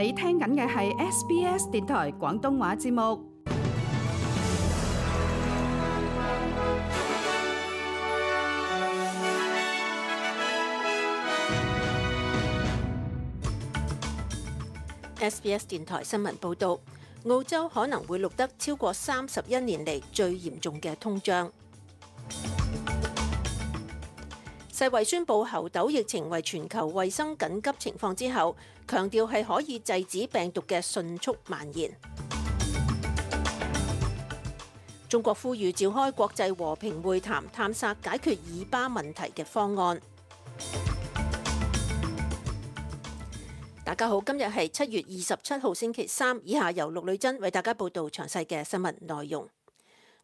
你聽緊嘅係 SBS 電台廣東話節目。SBS 電台新聞報導，澳洲可能會錄得超過31年嚟最嚴重嘅通脹。世衛宣布猴痘疫情為全球衛生緊急情況之後，強調係可以制止病毒嘅迅速蔓延。中國呼籲召開國際和平會談，探索解決以巴問題嘅方案。大家好，今日係7月27號星期三，以下由陸女珍為大家報道詳細嘅新聞內容。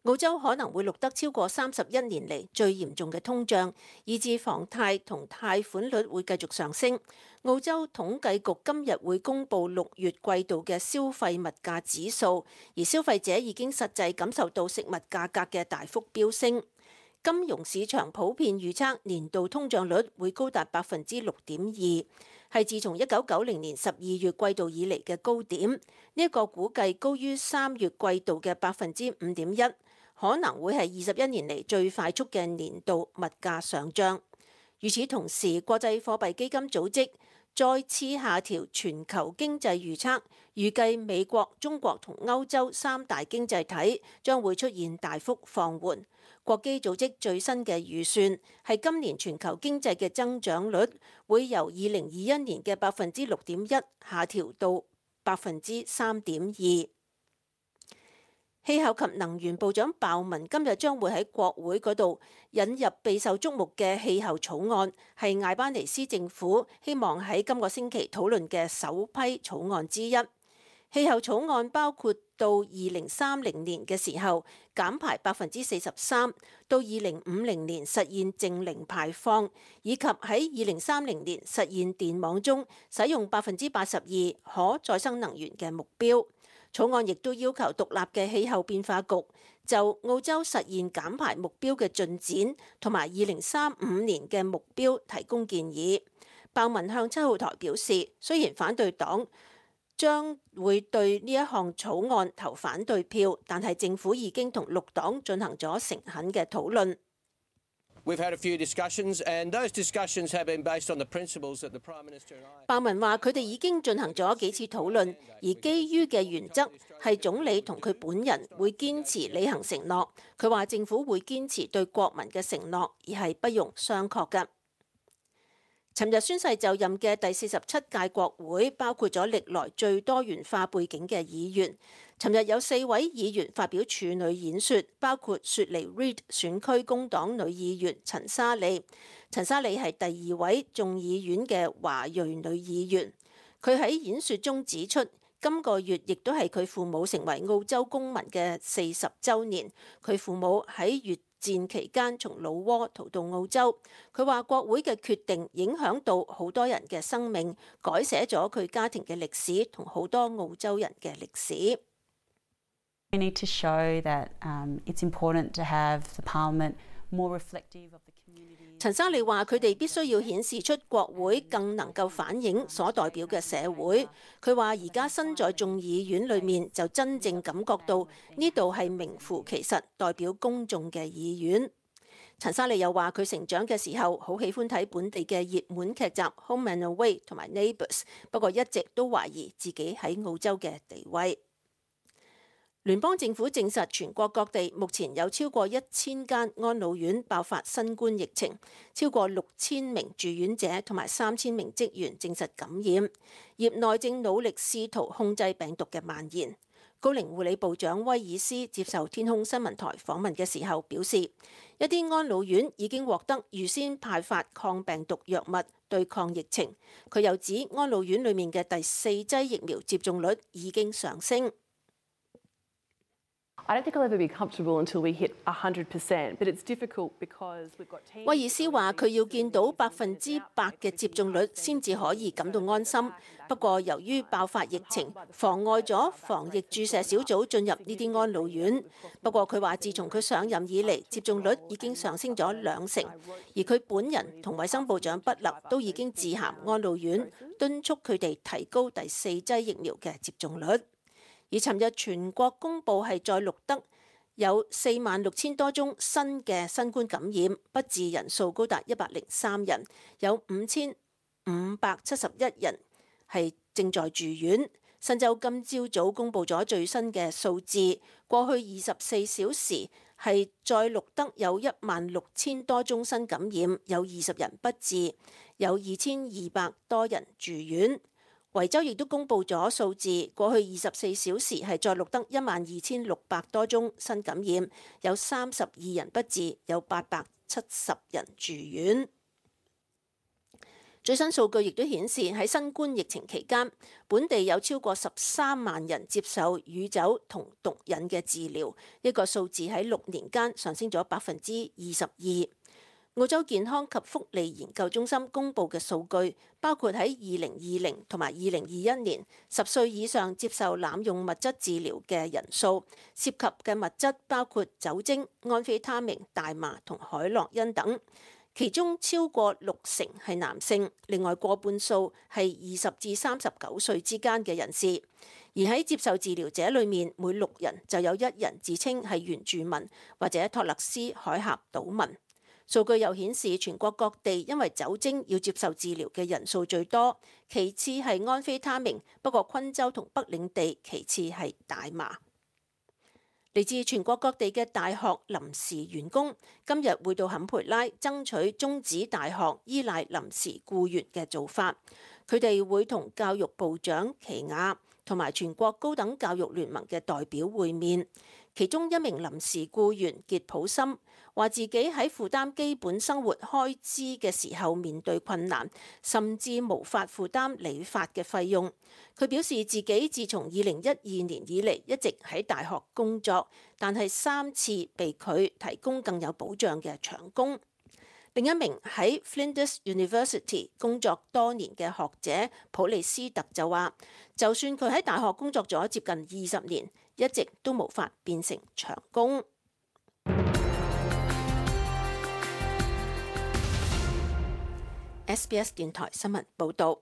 澳洲可能會錄得超過31年嚟最嚴重嘅通脹，以致房貸同貸款率會繼續上升。澳洲統計局今日會公布6月季度嘅消費物價指數，而消費者已經實際感受到食物價格嘅大幅飆升。金融市場普遍預測年度通脹率會高達6.2%，係自從1990年12月季度以嚟嘅高點。呢一個估計高於3月季度嘅5.1%，可能會係21年嚟最快速嘅年度物價上漲。與此同時，國際貨幣基金組織再次下調全球經濟預測，預計美國、中國同歐洲3大經濟體將會出現大幅放緩。國基組織最新嘅預算係今年全球經濟嘅增長率會由2021年嘅6.1%下調到3.2%。氣候及能源部長鮑文今日將會喺國會嗰度引入備受矚目嘅氣候草案，係艾巴尼斯政府希望喺今個星期討論嘅首批草案之一。氣候草案包括到2030年嘅時候減排43%，到2050年實現淨零排放，以及喺2030年實現電網中使用82%可再生能源嘅目標。草案亦都要求獨立嘅氣候變化局就澳洲實現減排目標嘅進展同埋2035年嘅目標提供建議。鮑文向7號台表示，雖然反對黨將會對呢一項草案投反對票，但係政府已經同綠黨進行咗誠懇嘅討論。鮑文話：佢哋已經進行咗幾次討論，而基於嘅原則係總理同佢本人會堅持履行承諾。佢話政府會堅持對國民嘅承諾，而係不容商榷嘅。尋日宣誓就任嘅第47屆國會包括咗歷來最多元化背景嘅議員。尋日有4位議員發表處女演說，包括雪梨 Reid 選區工黨女議員陳莎莉。陳莎莉係第2位眾議院嘅華裔女議員。佢喺演說中指出，今個月亦都係佢父母成為澳洲公民嘅40週年。佢父母喺越戰期間從老撾逃到澳洲。佢話國會嘅決定影響到好多人嘅生命，改寫咗佢家庭嘅歷史同好多澳洲人嘅歷史。We need to show that it's important to have the parliament more reflective of the community. 陳莎莉話：佢哋必須要顯示出國會更能夠反映所代表嘅社會。佢話：而家身在眾議院裏面，就真正感覺到呢度係名副其實代表公眾嘅議院。陳莎莉又話：佢成長嘅時候好喜歡睇本地嘅熱門劇集《Home and Away》同埋《Neighbours》，不過一直都懷疑自己喺澳洲嘅地位。聯邦政府證實，全國各地目前有超過1000間安老院爆發新冠疫情，超過6000名住院者同埋3000名職員證實感染。業內正努力試圖控制病毒嘅蔓延。高齡護理部長威爾斯接受天空新聞台訪問嘅時候表示，一啲安老院已經獲得預先派發抗病毒藥物對抗疫情。佢又指，安老院裡面嘅第4劑疫苗接種率已經上升。I don't think I'll ever be comfortable until we hit 100%, but it's difficult because we've got teams. 威爾斯話：佢要見到100%嘅接種率先至可以感到安心。不過，由於爆發疫情，妨礙咗防疫注射小組進入呢啲安老院。不過佢話，自從佢上任以嚟，接種率已經上升咗2成，而佢本人同衛生部長畢勒都已經致函安老院，敦促佢哋提高第4劑疫苗嘅接種率。而尋日全國公佈係再錄得有46,000多宗新嘅新冠感染，不治人數高達103人，有5,571人係正在住院。新州今朝早公佈咗最新嘅數字，過去24小時係再錄得有16,000多宗新感染，有20人不治，有2,200多人住院。維州亦都公佈咗數字，過去24小時係再錄得12,600多宗新感染，有32人不治，有870人住院。最新數據亦都顯示喺新冠疫情期間，本地有超過13萬人接受乳酒同毒癮嘅治療，一個數字喺6年間上升咗22%。澳洲健康及福利研究中心公佈嘅數據，包括喺2020同埋2021年10歲以上接受濫用物質治療嘅人數，涉及嘅物質包括酒精、安非他命、大麻同海洛因等，其中超過60%係男性，另外過半數係20至39歲之間嘅人士。而喺接受治療者裏面，每6人就有1人自稱係原住民或者托勒斯海峽島民。數據又顯示，全國各地因為酒精要接受治療嘅人數最多，其次係安非他命，不過昆州同北領地其次係大麻。嚟自全國各地嘅大學臨時員工今日會到坎培拉爭取終止大學依賴臨時僱員嘅做法，佢哋會同教育部長奇亞同埋全國高等教育聯盟嘅代表會面。其中一名臨時僱員傑普森話自己喺負擔基本生活開支嘅時候面對困難，甚至無法負擔理髮嘅費用。佢表示自己自從2012年以嚟一直喺大學工作，但係3次被佢提供更有保障嘅長工。另一名喺 Flinders University 工作多年嘅學者普利斯特就話，就算佢喺大學工作咗接近20年，一直都無法變成長工。SBS 電台新聞報導。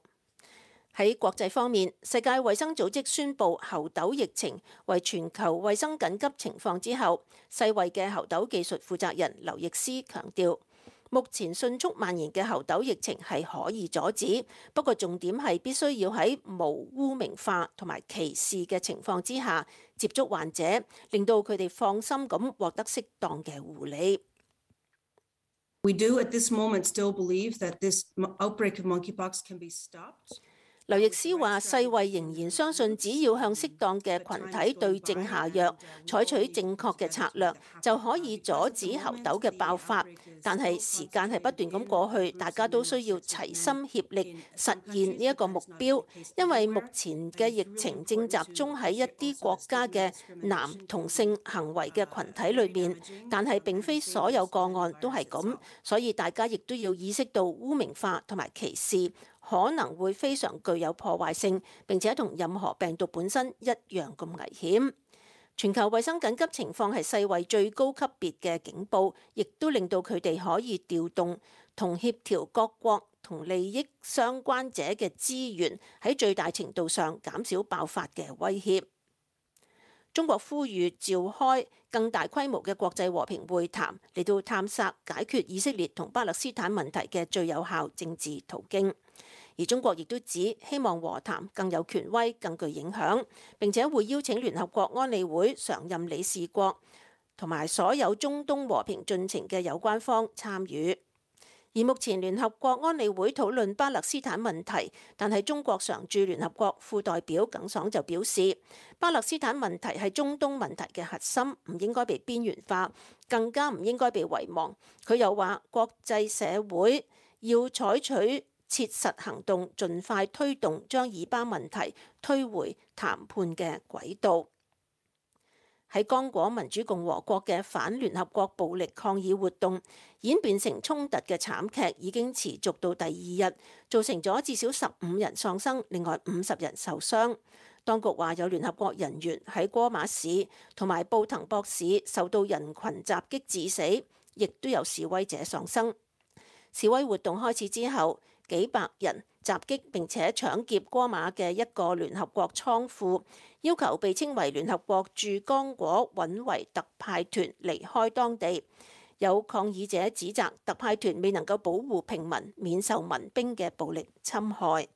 喺國際方面，世界衛生組織宣布猴痘疫情為全球衛生緊急情況之後，世衛嘅猴痘技術負責人劉易斯強調，目前迅速蔓延嘅猴痘疫情係可以阻止，不過重點係必須要喺無污名化同埋歧視嘅情況之下接觸患者，令到佢哋放心咁獲得適當嘅護理。We do at this moment still believe that this outbreak of monkeypox can be stopped. 劉易斯話：世衛仍然相信，只要向適當嘅群體對症下藥，採取正確嘅策略，就可以阻止猴痘嘅爆發。但係時間係不斷咁過去，大家都需要齊心協力實現呢一個目標，因為目前嘅疫情正集中喺一啲國家嘅男同性行為嘅群體裏面，但係並非所有個案都係咁，所以大家亦都要意識到污名化同埋歧視可能會非常具有破壞性，並且同任何病毒本身一樣咁危險。全球衛生緊急情況係世衛最高級別嘅警報，亦都令到佢哋可以調動同協調各國同利益相關者嘅資源，喺最大程度上減少爆發嘅威脅。中國呼籲召開更大規模嘅國際和平會談，嚟到探索解決以色列同巴勒斯坦問題嘅最有效政治途徑。而中國亦都指希望和談更有權威、更具影響，並且會邀請聯合國安理會常任理事國同埋所有中東和平進程嘅有關方參與。而目前聯合國安理會討論巴勒斯坦問題，但係中國常駐聯合國副代表耿爽就表示，巴勒斯坦問題係中東問題嘅核心，唔應該被邊緣化，更加唔應該被遺忘。佢又話，國際社會要採取切實行動，盡快推動將以巴問題推回談判嘅軌道。喺剛果民主共和國嘅反聯合國暴力抗議活動演變成衝突嘅慘劇已經持續到第二日，造成咗至少15人喪生，另外50人受傷。當局話有聯合國人員喺戈馬市同埋布滕博市受到人群襲擊致死，亦都有示威者喪生。示威活動開始之後，幾百人襲擊並且搶劫戈馬嘅一個聯合國倉庫，要求被稱為聯合國駐剛果穩維特派團離開當地。有抗議者指責特派團未能夠保護平民免受民兵嘅暴力侵害。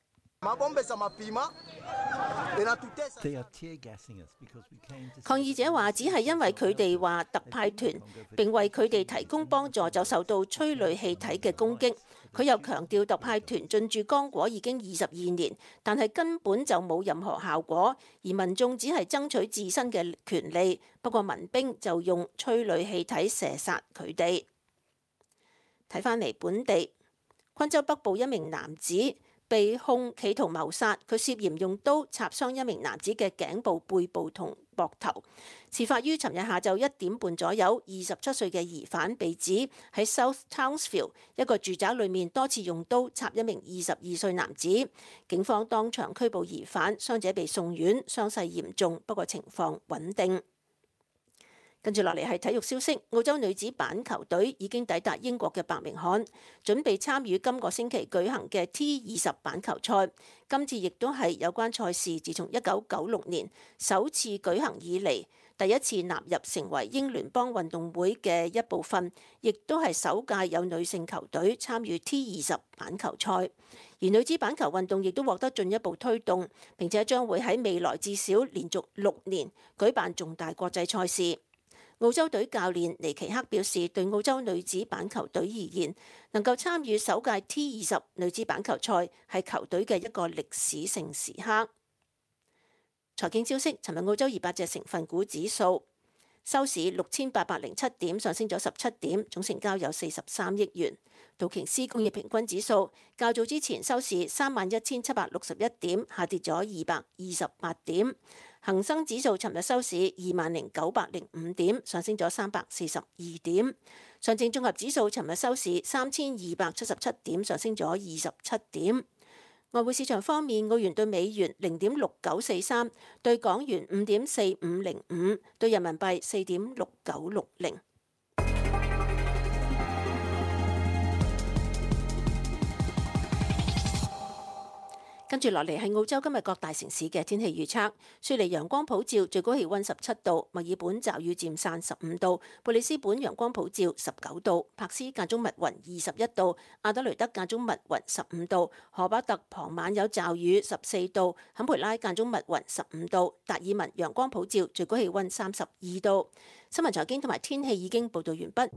抗議者話只係因為佢哋話特派團並為佢哋提供幫助，就受到催淚氣體嘅攻擊。佢又強調特派團進駐剛果已經22年，但係根本就冇任何效果，而民眾只係爭取自身嘅權利。不過民兵就用催淚氣體射殺佢哋。睇返嚟本地，昆州北部一名男子被控企圖謀殺，佢涉嫌用刀插傷一名男子嘅頸部、背部同膊頭。事發於尋日下晝1點半左右，27歲嘅疑犯被指喺 South Townsville 一個住宅裏面多次用刀插一名22歲男子。警方當場拘捕疑犯，傷者被送院，傷勢嚴重，不過情況穩定。跟住落嚟係體育消息，澳洲女子板球隊已經抵達英國嘅伯明翰，準備參與今個星期舉行嘅 T20 板球賽。今次亦都係有關賽事自從1996年首次舉行以嚟第一次納入成為英聯邦運動會嘅一部分，亦都係首屆有女性球隊參與 T20 板球賽。而女子板球運動亦都獲得進一步推動，並且將會喺未來至少連續6年舉辦重大國際賽事。澳洲隊教練尼奇克表示，對澳洲女子板球隊而言，能夠參與首屆 T20 女子板球賽係球隊嘅一個歷史性時刻。財經消息，尋日澳洲200隻成分股指數收市6807點，上升咗17點，總成交有43億元。道瓊斯工業平均指數較早之前收市31761點，下跌咗228點。恒生指數尋日收市20905點，上升咗342點。上證綜合指數尋日收市3277點，上升咗27點。外匯市場方面，澳元對美元0.6943，對港元5.4505，對人民幣4.6960。跟住落嚟係澳洲今日各大城市嘅天氣預測。雪梨陽光普照，最高氣溫17度；墨爾本驟雨漸散15度；布里斯本陽光普照19度；柏斯間中密雲21度；阿德雷德間中密雲15度；荷巴特傍晚有驟雨14度；坎培拉間中密雲15度；達爾文陽光普照，最高氣溫32度。新聞財經同埋天氣已經報道完畢。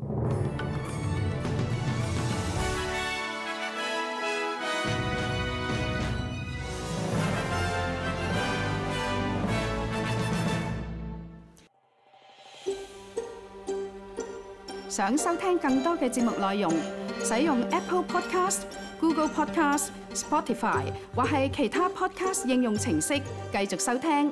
想收聽更多嘅節目內容，使用 Apple Podcast、Google Podcast、Spotify 或係其他 Podcast 應用程式繼續收聽。